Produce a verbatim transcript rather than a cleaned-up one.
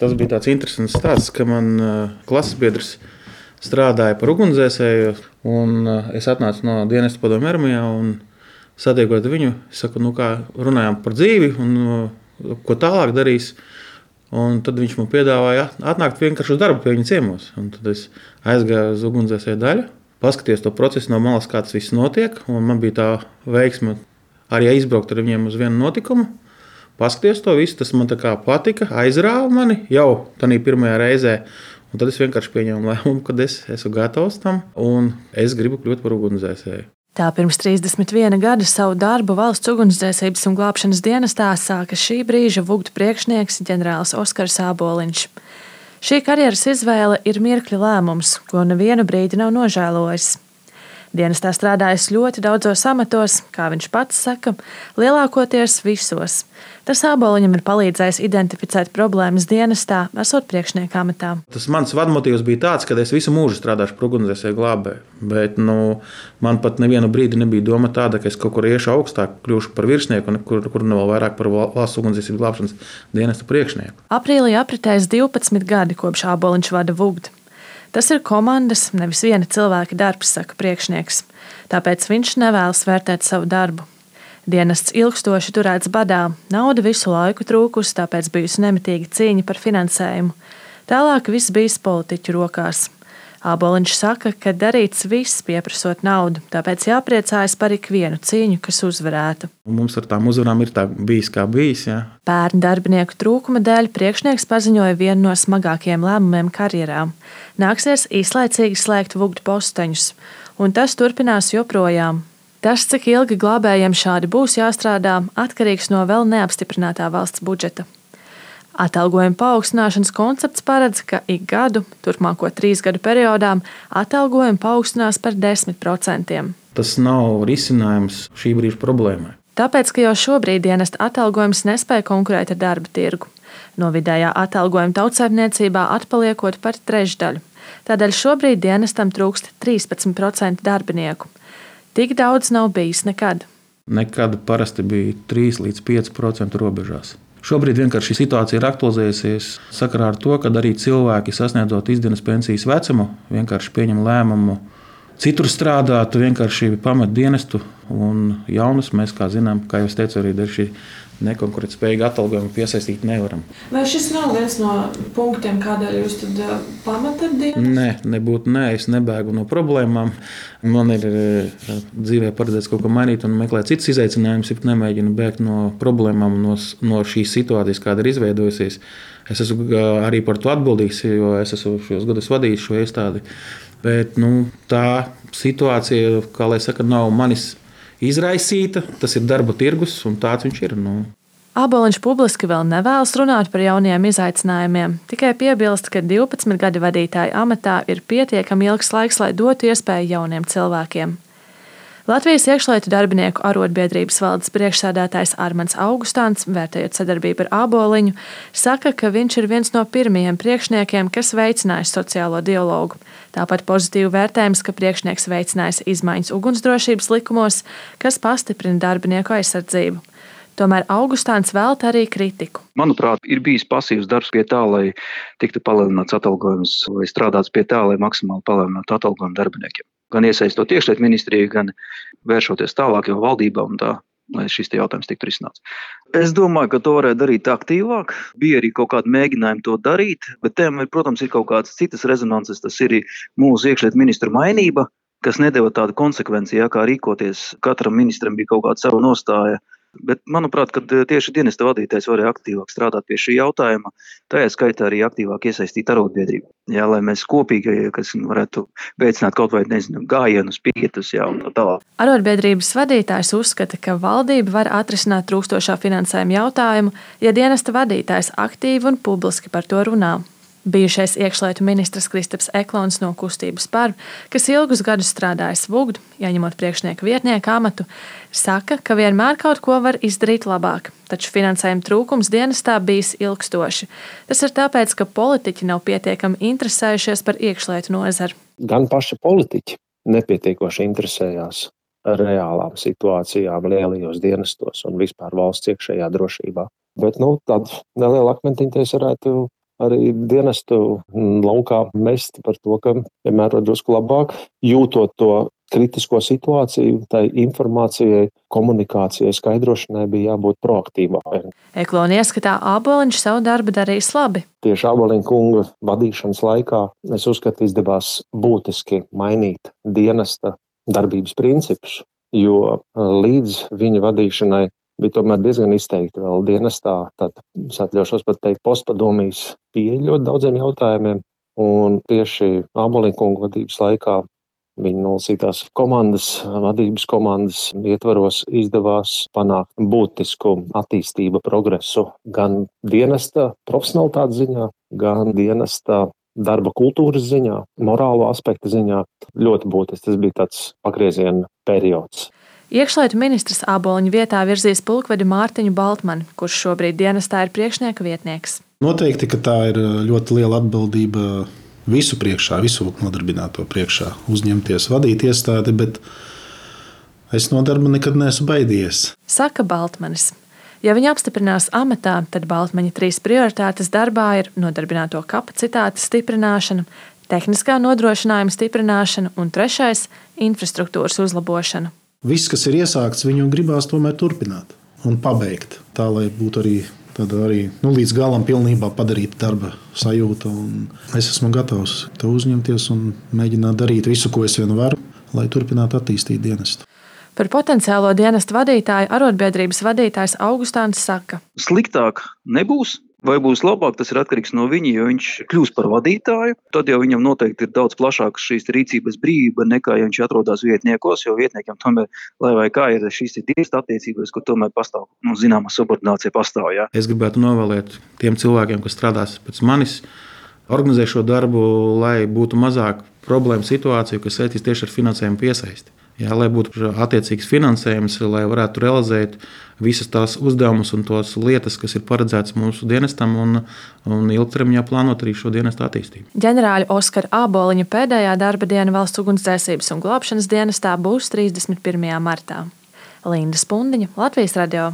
Tas bija tāds interesants stāsts, ka man klases biedrs strādāja par ugunsdzēsēju, un es atnācu no dienesta padomju armijā un satiekot viņu, es saku, nu kā runājām par dzīvi un ko tālāk darīs. Un tad viņš man piedāvāja atnākt vienkārši uz darbu pie viņa ciemos. Un tad es aizgāju uz ugunsdzēsēju daļu, paskaties to procesu no malas, kā tas viss notiek. Un man bija tā veiksme arī izbraukt ar viņiem uz vienu notikumu. Paskaties to visu, tas man tā kā patika, aizrāva mani jau tādā pirmajā reizē. Un tad es vienkārši pieņēmu lēmumu, ka es esmu gatavs tam un es gribu kļūt par ugunsdzēsēju. Tā pirms trīsdesmit viena gada savu darbu valsts ugunsdzēsības un glābšanas dienestā sāka šī brīža vugdu priekšnieks ģenerālis Oskars Āboliņš. Šī karjeras izvēle ir mirkļa lēmums, ko nevienu brīdi nav nožēlojis. Dienestā strādājis ļoti daudzos amatos, kā viņš pats saka, lielākoties visos. Tas Āboliņam ir palīdzējis identificēt problēmas dienestā, esot priekšnieka amatā. Tas mans vadmotīvs bija tāds, ka es visu mūžu strādāšu par ugunsdzēsēju glābēju. Bet nu, man pat nevienu brīdi nebija doma tāda, ka es kaut kur iešu augstāk, kļūšu par virsnieku, kur, kur ne vēl vairāk par valsts ugunsdzēsības glābšanas dienesta priekšnieku. Aprīlī apritēs divpadsmit gadi, kopš Āboliņš vada vugdu. Tas ir komandas, nevis viena cilvēka darbs, saka priekšnieks. Tāpēc viņš nevēlas vērtēt savu darbu. Dienests ilgstoši turēts badā, nauda visu laiku trūkusi, tāpēc bijusi nemitīga cīņa par finansējumu. Tālāk viss bijis politiķu rokās. Āboliņš saka, ka darīts viss pieprasot naudu, tāpēc jāpriecājas par ikvienu cīņu, kas uzvarētu. Mums ar tām uzvarām ir tā bijis kā bijis. Jā. Pērn darbinieku trūkuma dēļ priekšnieks paziņoja vienu no smagākajiem lēmumiem karjerā. Nāksies īslaicīgi slēgt vugdu posteņus, un tas turpinās joprojām. Tas, cik ilgi glābējiem šādi būs jāstrādā, atkarīgs no vēl neapstiprinātā valsts budžeta. Atalgojuma paaugstināšanas koncepts paredz, ka ik gadu, turpmāko trīs gadu periodā, atalgojumi paaugstinās par desmit procentiem. Tas nav risinājums šī brīža problēmai. Tāpēc, ka jau šobrīd dienesta atalgojums nespēja konkurēt ar darba tirgu. No vidējā atalgojuma tautsaimniecībā atpaliekot par trešdaļu. Tādēļ šobrīd dienestam trūkst trīspadsmit procenti darbinieku. Tik daudz nav bijis nekad. Nekad parasti bija trīs līdz pieci procenti robežās. Šobrīd vienkārši šī situācija ir aktualizējusies sakarā ar to, ka arī cilvēki sasniedzot izdienas pensijas vecumu vienkārši pieņem lēmumu citur strādāt, vienkārši pamet dienestu un jaunus mēs, kā zinām, kā jau es teicu, arī dar šī nekonkurētspējīga atalgojuma piesaistīt nevaram. Vai šis nav viens no punktiem, kādēļ jūs tad pametat dienestu? Nē, nebūtu nē, es nebēgu no problēmām. Man ir dzīvē paredzēts kaut ko mainīt un meklēt citas izaicinājumus, ja nemēģinu bēgt no problēmām, no, no šīs situācijas, kāda ir izveidojusies. Es esmu arī par to atbildīgs, jo es esmu šos gadus vadījis šo iestādi. Bet nu, tā situācija, kā lai saka, nav manis izraisīta, tas ir darba tirgus un tāds viņš ir. Nu. Āboliņš publiski vēl nevēlas runāt par jaunajiem izaicinājumiem, tikai piebilst, ka divpadsmit gadi vadītāja amatā ir pietiekami ilgs laiks, lai dotu iespēju jauniem cilvēkiem. Latvijas iekšlietu darbinieku arotbiedrības valdes priekšsēdētājs Armands Augustāns, vērtējot sadarbību ar Āboliņu, saka, ka viņš ir viens no pirmajiem priekšniekiem, kas veicinājis sociālo dialogu. Tāpat pozitīvi vērtējums, ka priekšnieks veicinājis izmaiņas ugunsdrošības likumos, kas pastiprina darbinieku aizsardzību. Tomēr Augustāns velta arī kritiku. Manuprāt, ir bijis pasīvs darbs pie tā, lai tiktu palielināts atalgojums, vai strādāts pie tā, lai maksimāli palielinātu atalgojumu darbiniekiem. Gan iesaistot iekšlietu ministriju, gan vēršoties tālāk jau valdībā un tā, lai šis jautājums tiktu risināts. Es domāju, ka to varētu darīt aktīvāk. Bija arī kaut kādi mēģinājumi to darīt, bet tiem, protams, ir kaut kādas citas rezonances. Tas ir mūsu iekšlietu ministru mainība, kas nedeva tādu konsekvenci, ja, kā rīkoties. Katram ministram bija kaut kāda sava nostāja. Bet, manuprāt, kad tieši dienesta vadītājs varēja aktīvāk strādāt pie šī jautājuma, tajā skaitā arī aktīvāk iesaistīt arotbiedrību. Jā, lai mēs kopīgi, kas varētu veicināt kaut vai, nezinu, gājienus, pietus, jā, un tā tālāk. Arotbiedrības vadītājs uzskata, ka valdība var atrisināt trūkstošā finansējuma jautājumu, ja dienesta vadītājs aktīvi un publiski par to runā. Bijušais iekšlietu ministrs Kristaps Eklons no Kustības par, kas ilgus gadus strādājis vugdu, ieņemot priekšnieka vietnieka amatu, saka, ka vienmēr kaut ko var izdarīt labāk, taču finansējuma trūkums dienestā bijis ilgstoši. Tas ir tāpēc, ka politiķi nav pietiekami interesējušies par iekšlietu nozari. Gan paši politiķi nepietiekoši interesējās ar reālām situācijām lielajos dienestos un vispār valsts iekšējā drošībā. Bet nu, tādu nelielu akmentiņu es varētu arī dienestu laukā mest par to, ka vienmēr var drusku labāk, jūtot to kritisko situāciju, tai informācijai, komunikācijai, skaidrošanai bija jābūt proaktīvākai. Eklona ieskatā Āboliņš savu darbu darījis labi. Tieši Āboliņa kunga vadīšanas laikā es uzskatu, izdevās būtiski mainīt dienesta darbības principus, jo līdz viņa vadīšanai bija tomēr diezgan izteikti vēl dienestā, tad es atļaušos pat teikt postpadomijas pieeja ļoti daudziem jautājumiem, un tieši Āboliņa kunga vadības laikā viņa nolasītās komandas, vadības komandas ietvaros izdevās panākt būtisku attīstību progresu gan dienesta profesionalitātes ziņā, gan dienesta darba kultūras ziņā, morālo aspektu ziņā. Ļoti būtiski, tas bija tāds pagrieziena periods. Iekšlietu ministrs Āboliņa vietā virzīs pulkvedi Mārtiņu Baltmani, kurš šobrīd dienestā ir priekšnieka vietnieks. Noteikti, ka tā ir ļoti liela atbildība visu priekšā, visu nodarbināto priekšā uzņemties, vadīt iestādi, bet es no darba nekad neesmu baidījies. Saka Baltmanis. Ja viņa apstiprinās amatā, tad Baltmaņa trīs prioritātes darbā ir nodarbināto kapacitātes stiprināšana, tehniskā nodrošinājuma stiprināšana un trešais – infrastruktūras uzlabošana. Viss, kas ir iesākts, viņu gribās tomēr turpināt un pabeigt, tā lai būtu arī Tad arī nu, līdz galam pilnībā padarīt darba sajūta. Es esmu gatavs to uzņemties un mēģināt darīt visu, ko es vien varu, lai turpinātu attīstīt dienestu. Par potenciālo dienestu vadītāju arotbiedrības vadītājs Augustāns saka: Sliktāk nebūs. Vai būs labāk, tas ir atkarīgs no viņa, jo viņš kļūs par vadītāju. Tad jau viņam noteikti ir daudz plašāka šīs rīcības brīvība nekā, ja viņš atrodas vietniekos, jo vietniekiem tomēr, lai vai kā ir šīs dienesta attiecības, kur tomēr pastāv, nu, zināma subordinācija pastāv. Jā. Es gribētu novēlēt tiem cilvēkiem, kas strādās pēc manis, organizē šo darbu, lai būtu mazāk problēmu situāciju, kas saistīs tieši ar finansējumu piesaisti. Jā, lai būtu attiecīgs finansējums, lai varētu realizēt visas tās uzdevumus un tos lietas, kas ir paredzētas mūsu dienestam un, un ilgtermiņā plānot arī šo dienestu attīstību. Ģenerāļa Oskara Āboliņa pēdējā darba diena Valsts ugunsdzēsības un glābšanas dienestā būs trīsdesmit pirmajā martā. Linda Spundiņa, Latvijas radio.